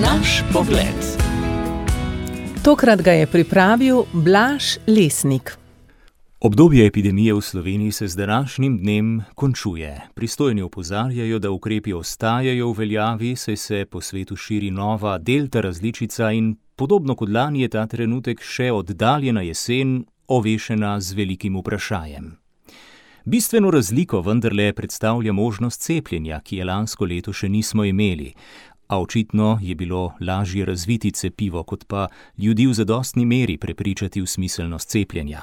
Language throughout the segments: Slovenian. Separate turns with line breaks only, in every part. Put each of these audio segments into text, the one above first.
Naš pogled.
Tokrat ga je pripravil Blaž Lesnik.
Obdobje epidemije v Sloveniji se z današnjim dnem končuje. Pristojni opozarjajo, da ukrepi ostajajo v veljavi, saj se po svetu širi nova delta različica in podobno kot lani je ta trenutek še oddaljena jesen ovešena z velikim vprašajem. Bistveno razliko vendarle predstavlja možnost cepljenja, ki je lansko leto še nismo imeli, a očitno je bilo lažje razviti cepivo, kot pa ljudi v zadostni meri prepričati v smiselnost cepljenja.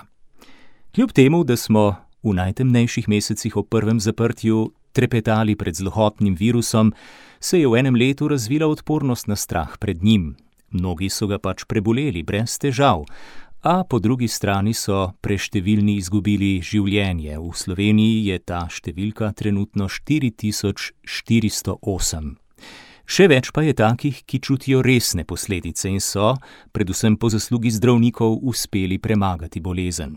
Kljub temu, da smo v najtemnejših mesecih ob prvem zaprtju trepetali pred zlohotnim virusom, se je v enem letu razvila odpornost na strah pred njim. Mnogi so ga pač preboleli brez težav, a po drugi strani so preštevilni izgubili življenje. V Sloveniji je ta številka trenutno 4408. Še več pa je takih, ki čutijo resne posledice in so, predvsem po zaslugi zdravnikov, uspeli premagati bolezen.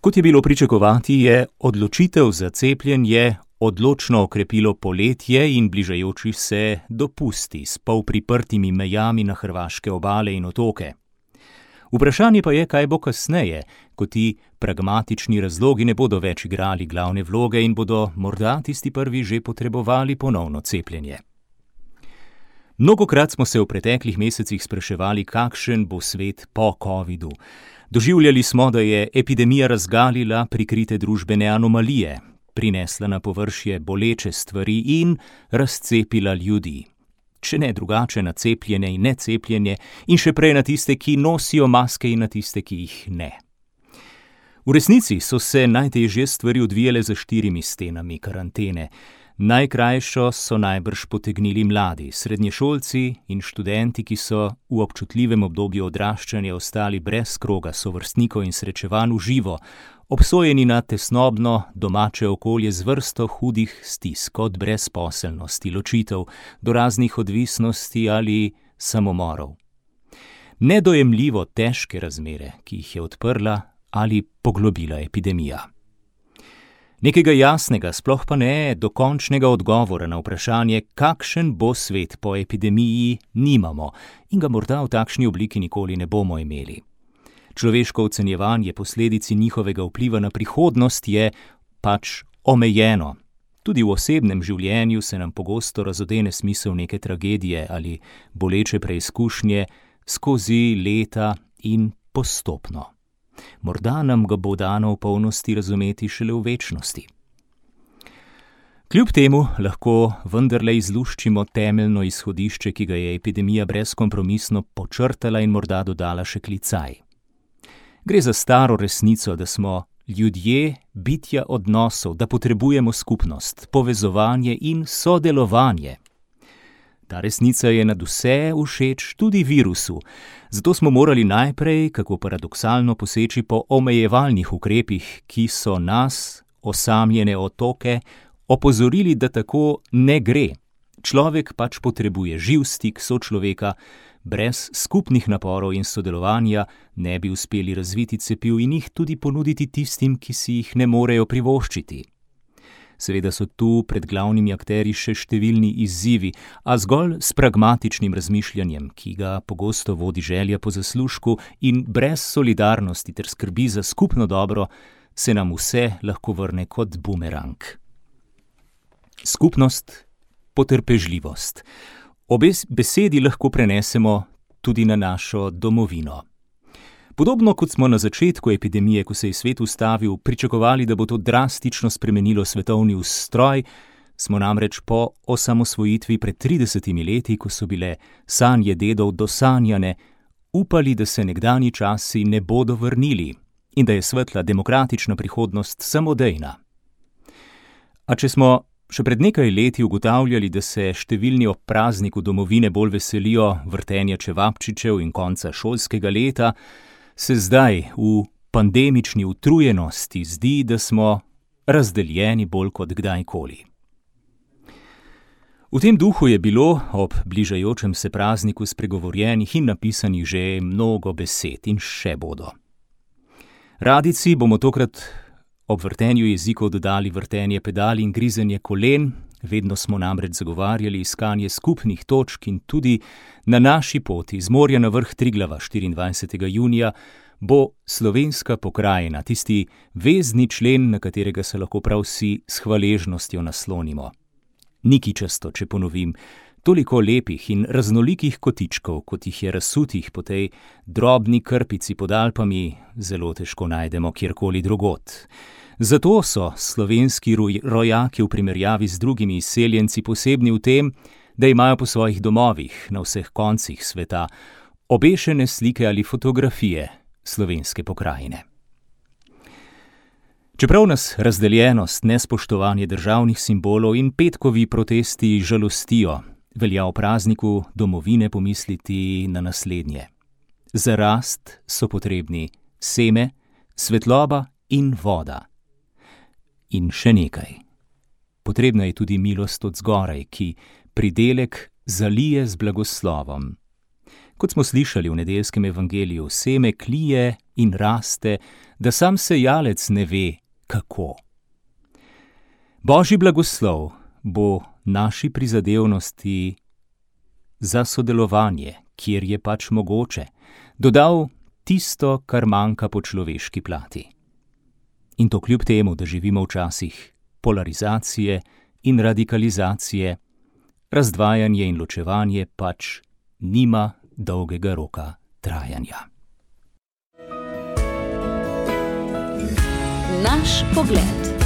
Kot je bilo pričakovati, je odločitev za cepljenje odločno okrepilo poletje in bližajoči se dopusti s polpriprtimi mejami na hrvaške obale in otoke. Vprašanje pa je, kaj bo kasneje, ko ti pragmatični razlogi ne bodo več igrali glavne vloge in bodo morda tisti prvi že potrebovali ponovno cepljenje. Mnogokrat smo se v preteklih mesecih spraševali, kakšen bo svet po covidu. Doživljali smo, da je epidemija razgalila prikrite družbene anomalije, prinesla na površje boleče stvari in razcepila ljudi. Če ne drugače na cepljene in necepljene in še prej na tiste, ki nosijo maske in na tiste, ki jih ne. V resnici so se najtežje stvari odvijale za 4 stenami karantene. Najkrajšo so najbrž potegnili mladi, srednješolci in študenti, ki so v občutljivem obdobju odraščanja ostali brez kroga sovrstnikov in srečevanj v živo, obsojeni na tesnobno domače okolje z vrsto hudih stisk, od brezposelnosti, ločitev do raznih odvisnosti ali samomorov. Nedojemljivo težke razmere, ki jih je odprla ali poglobila epidemija. Nekega jasnega, sploh pa ne dokončnega odgovora na vprašanje, kakšen bo svet po epidemiji, nimamo in ga morda v takšni obliki nikoli ne bomo imeli. Človeško ocenjevanje posledici njihovega vpliva na prihodnost je pač omejeno. Tudi v osebnem življenju se nam pogosto razodene smisel neke tragedije ali boleče preizkušnje skozi leta in postopno. Morda nam ga bo dano v polnosti razumeti šele v večnosti. Kljub temu lahko vendarle izluščimo temeljno izhodišče, ki ga je epidemija brezkompromisno počrtala in morda dodala še klicaj. Gre za staro resnico, da smo ljudje bitja odnosov, da potrebujemo skupnost, povezovanje in sodelovanje. Ta resnica je nadvse všeč tudi virusu, zato smo morali najprej, kako paradoksalno, poseči po omejevalnih ukrepih, ki so nas, osamljene otoke, opozorili, da tako ne gre. Človek pač potrebuje živ stik sočloveka, brez skupnih naporov in sodelovanja ne bi uspeli razviti cepiv in jih tudi ponuditi tistim, ki si jih ne morejo privoščiti. Seveda so tu pred glavnimi akterji še številni izzivi, a zgolj s pragmatičnim razmišljanjem, ki ga pogosto vodi želja po zaslužku in brez solidarnosti ter skrbi za skupno dobro, se nam vse lahko vrne kot bumerang. Skupnost, potrpežljivost. Obe besedi lahko prenesemo tudi na našo domovino. Podobno kot smo na začetku epidemije, ko se je svet ustavil, pričakovali, da bo to drastično spremenilo svetovni ustroj, smo namreč po osamosvojitvi pred 30 leti, ko so bile sanje dedov dosanjane, upali, da se nekdanji časi ne bodo vrnili in da je svetla demokratična prihodnost samodejna. A če smo še pred nekaj leti ugotavljali, da se številni ob prazniku domovine bolj veselijo vrtenja čevapčičev in konca šolskega leta, se zdaj v pandemični utrujenosti zdi, da smo razdeljeni bolj kot kdajkoli. V tem duhu je bilo ob bližajočem se prazniku spregovorjenih in napisanih že mnogo besed in še bodo. Radijci bomo tokrat ob vrtenju jezikov dodali vrtenje pedal in grizenje kolen, Vedno smo namreč zagovarjali iskanje skupnih točk in tudi na naši poti z morja na vrh Triglava 24. junija bo slovenska pokrajina, tisti vezni člen, na katerega se lahko prav vsi s hvaležnostjo naslonimo. Ni kičasto, če ponovim, toliko lepih in raznolikih kotičkov, kot jih je razsutih po tej drobni krpici pod Alpami, zelo težko najdemo kjerkoli drugod. Zato so slovenski rojaki v primerjavi z drugimi izseljenci posebni v tem, da imajo po svojih domovih na vseh koncih sveta obešene slike ali fotografije slovenske pokrajine. Čeprav nas razdeljenost, nespoštovanje državnih simbolov in petkovi protesti žalostijo, velja o prazniku domovine pomisliti na naslednje. Za rast so potrebni seme, svetloba in voda. In še nekaj. Potrebna je tudi milost od zgoraj, ki pridelek zalije z blagoslovom. Kot smo slišali v nedeljskem evangeliju, seme klije in raste, da sam sejalec ne ve, kako. Božji blagoslov bo naši prizadevnosti za sodelovanje, kjer je pač mogoče, dodal tisto, kar manjka po človeški plati. In to kljub temu, da živimo v časih polarizacije in radikalizacije, razdvajanje in ločevanje pač nima dolgega roka trajanja.
Naš pogled.